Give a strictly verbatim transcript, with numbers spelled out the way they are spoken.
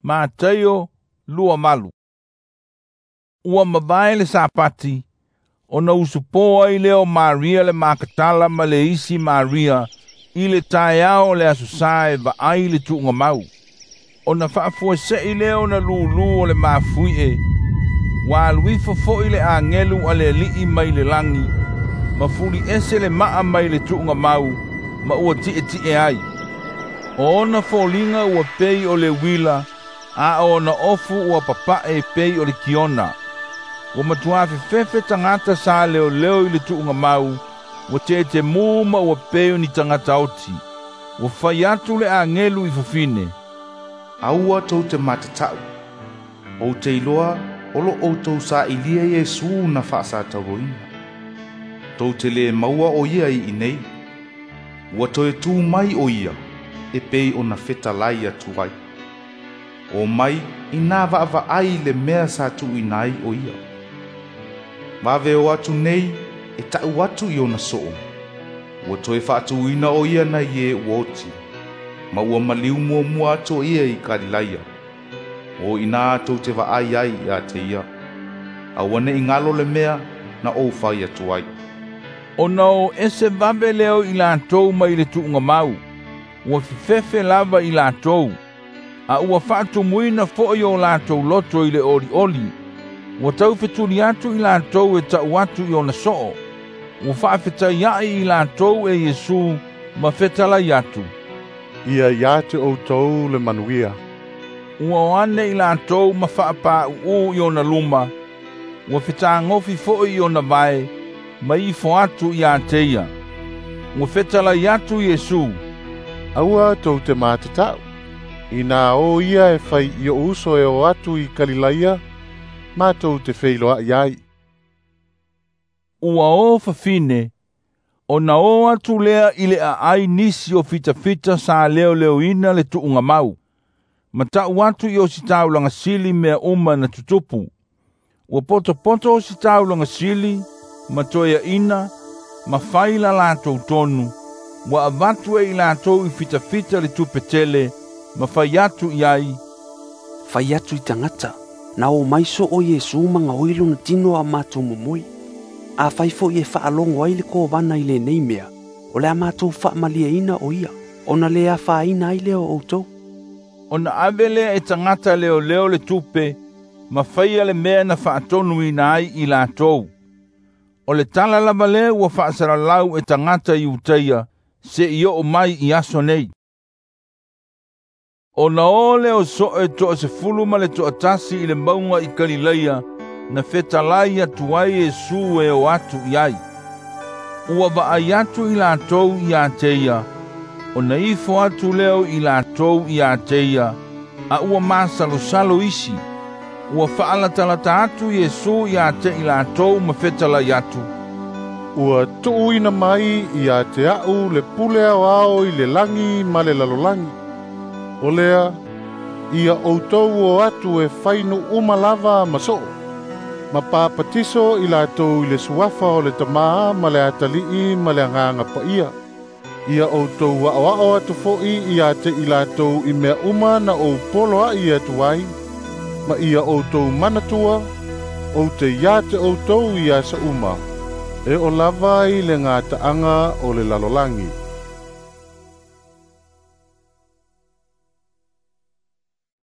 Mataio lua valu. Ua mavae le Sapati, ona usupo ai lea o Maria le Makatala ma le isi Maria i le taeao o le aso Sa e vaai le tuugamau. Ona faafuase'i lea ona lūlū o le mafui'e, ua alu ifo fo'i le agelu a le Ali'i mai le lagi, ma fuli'ese le ma'a mai le tuugamau, ma ua ti'eti'e ai. O ona foliga ua pei o le uila, a o ona ofu ua papa'e pei o le kiona. Ua matuā fefefe tagata sa leoleo i le tuugamau, ua tetemū ma ua pei o ni tagata oti. Ua fai atu le agelu i fafine, "Aua tou te matata'u. Ou te iloa o lo outou sailia Iesu na faasatauaina. Tou te lē maua o ia i inei. Ua toe tū mai o ia, e pei ona fetalai atu ai. O mai inā vaavaai i le mea sa tuuina ai o ia. Vave o atu nei e ta'u atu i ona soo, ua toe faatūina o ia nai e ua oti, ma ua maliu muamua atu o ia i Kalilaia. O inā tou te vaai ai ia te ia. Aua ne'i galo le mea na ou fai atu ai." Ona o ese vave lea o i latou mai le tuugamau, ua fefefe lava i latou, a ua faatumuina fo'i o latou loto i le olioli. Ua taufetuli atu i latou e ta'u atu i ona so'o. Ua faafetaia'i i latou e Iesu ma fetalai atu, "Ia ia te outou le manuia." Ua o ane i latou ma faapā'u'ū i ona luma, ua fetagofi fo'i i ona vae, ma ifo atu iā te ia. Ua fetalai atu Iesu, "Aua tou te matata'u. Inā o ia e fai i o'u uso e o atu i Kalilaia, matou te feiloa'i ai." Ua o fafine, ona o atu lea i le aai nisi o fitafita sa leoleoina le tuugamau, ma ta'u atu i ositaulaga sili mea uma na tutupu. Ua potopoto ositaulaga sili, ma toeaʻina, ma fai la latou tonu, ua avatu e i latou i fitafita le tupe tele, ma fai atu i ai, "Fai atu i tagata, na o mai soo Iesu ma gaoi lona tino a matou momoe. Afai fo'i e faalogo ai le kovana i lenei mea, o le a matou faamalieina o ia, ona lē afaina ai lea o outou." Ona ave lea e tagata leoleo le tupe, ma faia le mea na faatonuina ai i latou. O le tala lava lea ua faasalalau e tagata Iutaia se'i oo mai i aso nei. Ona o lea o so'e to'asefulu ma le to'atasi i le mauga i Kalilaia na fetalai atu ai Iesu e o atu i ai. Ua vaai atu i latou iā te ia, ona ifo atu lea o i latou iā te ia, a ua masalosalo isi. Ua faalatalata atu Iesu iā te i latou ma fetalai atu, "Ua tuuina mai ia te a'u le pule aoao i le lagi ma le lalolagi. O lea, ia outou o atu e fai nuu uma lava ma so'o, ma papatiso i latou i le suafa o le Tamā ma le Atali'i ma le Agaga Paia. Ia outou a'oa'o atu fo'i ia te i latou i mea uma na ou poloa'i atu ai, ma ia outou manatua, ou te ia te outou i aso uma, e oo lava i le gata'aga o le lalolagi."